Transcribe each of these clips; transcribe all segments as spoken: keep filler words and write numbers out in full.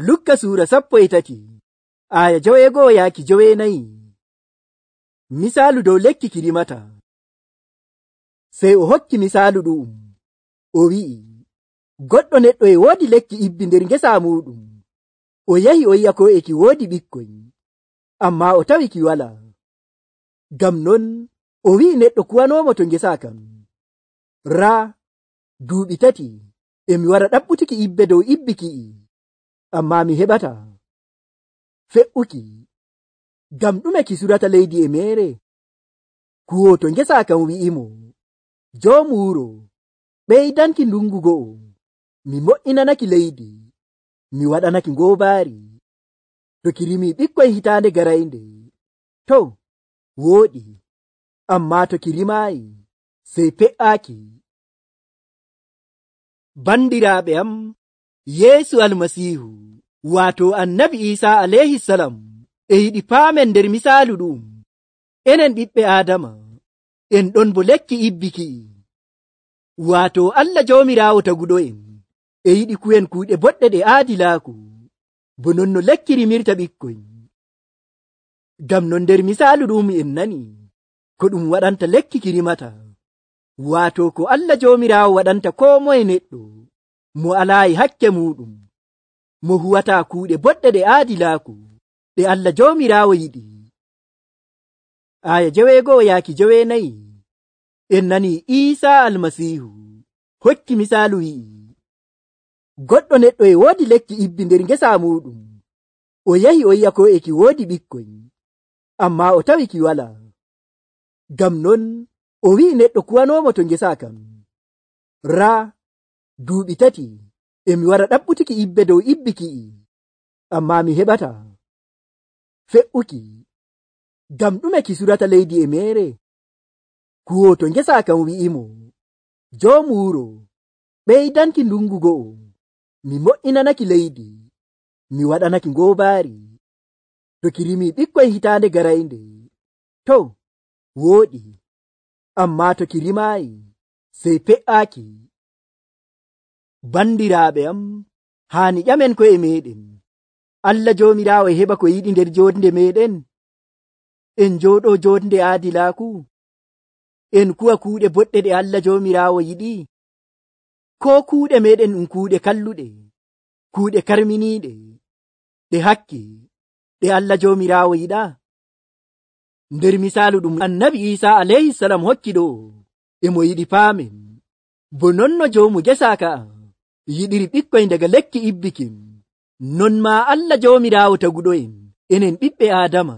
Lukka suura sappo e tati aya joweego yaaki joweenayi. Misaalu dow lekki ki rimata. Sey o hokki misaalu ɗu'um, o wi'i, goɗɗo neɗɗo e woodi lekki ibbi nder ngesa muuɗum. O yahi o yi'a ko e ki woodi ɓikkoy, ammaa o tawi ki walaa. Ngam non o wi'i neɗɗo kuwanoomo to ngesa kam, raa duuɓi tati e mi wara ɗaɓɓutuki ibbe dow ibbi ki'i, ammaa mi heɓataa. Fe'uki, ngam ɗume ki surata leydi e meere? Kuwooto ngesa kam wi'imo, joomu wuro, ɓeydanki ndungu go'o, mi mo'inanaki leydi, mi waɗanaki ngoobaari. To ki rimii ɓikkoy hitaande garaynde, to wooɗi, ammaa to ki rimaayi, sey pe'aaki. Bandiraaɓe am, Yeesu Almasiihu, waato Annabi Iisaa alayhi salam, e yiɗi paamen nder misaalu ɗu'um. Enen ɓiɓɓe Aadama, en ɗon bo lekki ibbiki'i. Waato Allah Joomiraawo taguɗo'en e yiɗi ku'en kuuɗe boɗɗe ɗe aadilaaku, bo non no lekki rimirta ɓikkoy. Ngam non nder misaalu ɗum en nani ko ɗum waɗanta lekki ki rimata, waato ko Allah Joomiraawo waɗanta koo moye neɗɗo mo alaayi hakke muuɗum, mo huwataa kuuɗe boɗɗe ɗe aadilaaku ɗe Allah Joomiraawo yiɗi. Aya joweego yaaki joweenayi en nani Iisaa Almasiihu hokki misaalu wi'i, goɗɗo neɗɗo e woodi lekki ibbi nder ngesa muuɗum. O yahi o yi'a ko e ki woodi ɓikkoy, ammaa o tawi ki walaa. Ngam non o wi'i neɗɗo kuwanoomo to ngesa kam, raa duuɓi tati e mi wara ɗaɓɓutuki ibbe dow ibbi ki'i, ammaa mi heɓataa. Fe'uki, ngam ɗume ki surata leydi e meere? Kuwooto ngesa kam wi'imo, joomu wuro, ɓeydanki ndungu go'o, mi mo'inanaki leydi, mi waɗanaki ngoobaari. To ki rimii ɓikkoy hitaande garaynde, to wooɗi, ammaa to ki rimaayi, sey pe'aaki. Bandiraaɓe am, haani ƴamen ko'e meeɗen. Allah Joomiraawo heɓa ko yiɗi nder joonde meeɗen. En njooɗoo joonde aadilaaku. En kuwa kuuɗe boɗɗe ɗe Allah Joomiraawo yiɗi. Koo kuuɗe meeɗen ɗum kuuɗe kalluɗe, kuuɗe karminiiɗe, ɗe hakke, ɗe Allah Joomiraawo yiɗaa. Nder misaalu ɗum Annabi Iisaa alayhi salam hokki ɗo, e mo yiɗi paamen, bo non no joomu gesa ka'a yiɗiri ɓikkoy daga lekki ibbikin, non maa Allah Joomiraawo taguɗo'en, enen ɓiɓɓe Aadama,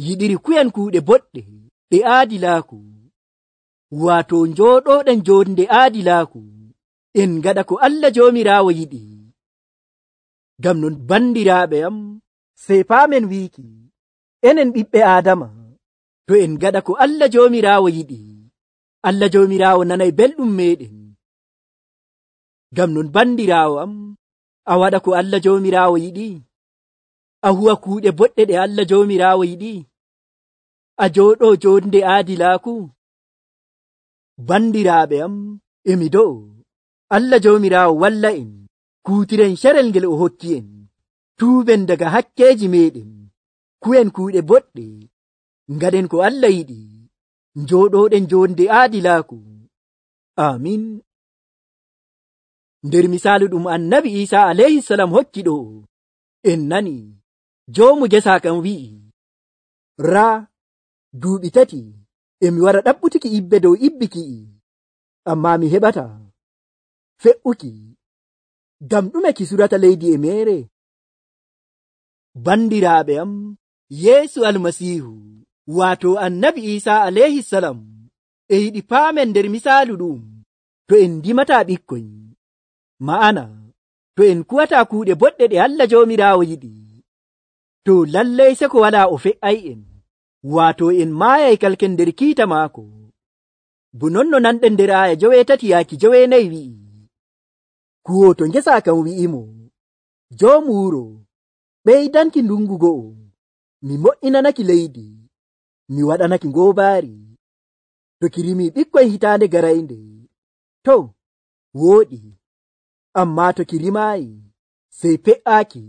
yiɗiri ku'en kuuɗe boɗɗe ɗe aadilaaku, waato njooɗooɗen joonde aadilaaku, en ngaɗa ko Allah Joomiraawo yiɗi. Ngam non bandiraaɓe am, sey paamen wiiki, enen ɓiɓɓe Aadama, to en ngaɗa ko Allah Joomiraawo yiɗi, Allah Joomiraawo nanay belɗum meeɗen. Ngam non bandiraawo am, a waɗa ko Allah Joomiraawo yiɗi, a huwa kuuɗe boɗɗe ɗe Allah Joomiraawo yiɗi, a jooɗoo joonde aadilaaku. Bandiraaɓe am, emi do'o Allah Joomiraawo walla en kuutiren carel ngel o hokki en, tuuben daga hakkeeji meeɗen, ku'en kuuɗe boɗɗe, ngaɗen ko Allah yiɗi, njooɗooɗen joonde aadilaaku. Amin. Nder misaalu ɗum Annabi Iisaa alayhi salam hokki ɗo, en nani joomu gesa kam wi'i, raa duuɓi tati e mi wara ɗaɓɓutuki ibbe dow ibbi ki'i, ammaa mi heɓataa. Fe'uki, ngam ɗume ki surata leydi e meere? Bandiraaɓe am, Yeesu Almasiihu, waato Annabi Iisaa alayhi salam, e yiɗi paamen nder misaalu ɗum, to en ndimataa ɓikkoy, ma'ana to en kuwataa kuuɗe boɗɗe ɗe Allah Joomiraawo yiɗi, to lallay seko walaa o fe'ay'en, waato en maayay kalken nder kiita maako. Bo non no nanɗen nder aya joweetati yaaki joweenayi wi'i, kuwooto ngesa kam wi'imo, joomu wuro, ɓeydanki ndungu go'o, mi mo'inanaki leydi, mi waɗanaki ngoobaari. To ki rimii ɓikkoy hitaande garaynde, to wooɗi, ammaa to ki rimaayi, sey pe'aaki.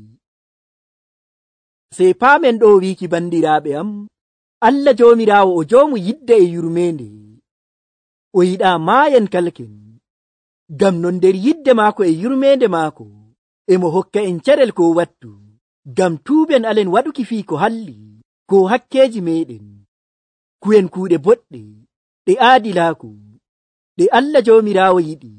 Sey paamen ɗo wiiki bandiraaɓe am, Allah joomiraawo o joomu yidde e yurmeende. O yiɗaa maayen kalken, ngam non nder yidde maako e yurmeende maako emo hokka en carel ko wattu, ngam tuuben alen waɗuki fii ko halli ko hakkeeji meeɗen, ku'en kuuɗe boɗɗe ɗe aadilaaku ɗe Allah joomiraawo yiɗi.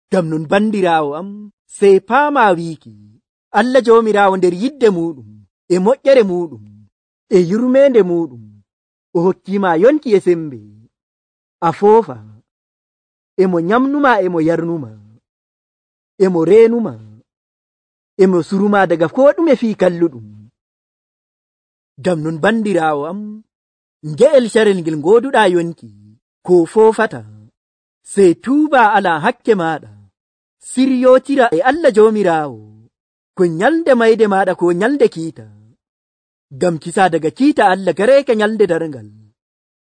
Ngam non bandiraawo am, sey paamaa wiiki Allah joomiraawo nder yidde muɗum e moƴƴere muɗum e yurmeende muɗum o hokkima yonki e sembe. A foofa, emo nyamnuma emo yarnuma, emo reenuma, emo suruma daga ko ɗume fii kalluɗum. Ngam non bandiraawo am, nge'el carel ngel ngoduɗa yonki ko foofata, sey tuuba ala hakke maɗa, siryotira e Allah joomiraawo ko nyalde mayde maɗa ko nyalde kiita, ngam kisa daga kiita Allah gareeke nyalde darngal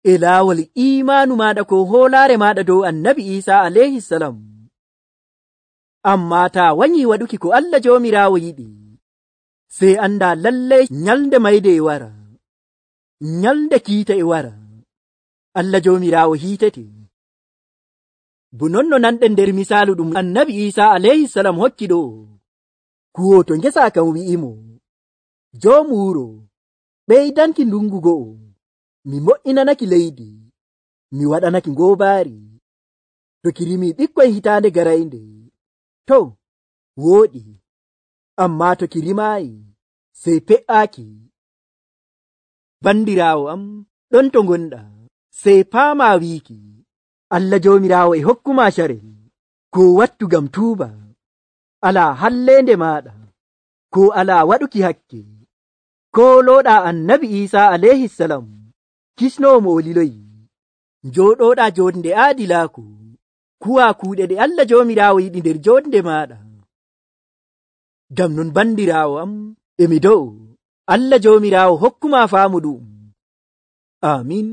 e laawol imaanu maɗa ko hoolaare maɗa dow annabi Isa alayhi salam. Amma ta wanyi waɗuki ko Allah joomiraawo yiɗi, sey anda lallai nyalde mayde e wara, nyalde kiita e wara, Allah joomiraawo hiitete. Bo nonno nanɗen nder misaalu ɗum annabi Isa alayhi salam hokki ɗo, kuwoto ngesa kam wi'imo, joomu wuro ɓeydanki ndungu go'o, mi mo'inanaki leydi, mi waɗanaki ngoobaari, to kirimi ɓikkoy hitaande garaynde, to wooɗi, amma to kirimaayi sey pe'aaki. Bandiraawo am, ɗon to ngonɗa, sey paamaa wiiki Allah joomiraawo e hokkuma carel ko wattu ngam tuuba, alaa halleende maɗa ko alaa waɗuki hakke, koolooɗa annabi Isa alayhi salam kisnoomo o liloyi, njooɗoɗa joonde aadilaaku, kuwa kuuɗe ɗe Allah joomiraawo yiɗi nder joonde maɗa. Ngam non bandiraawo am, emi do'o Allah joomiraawo hokkuma faamu ɗum. Amin.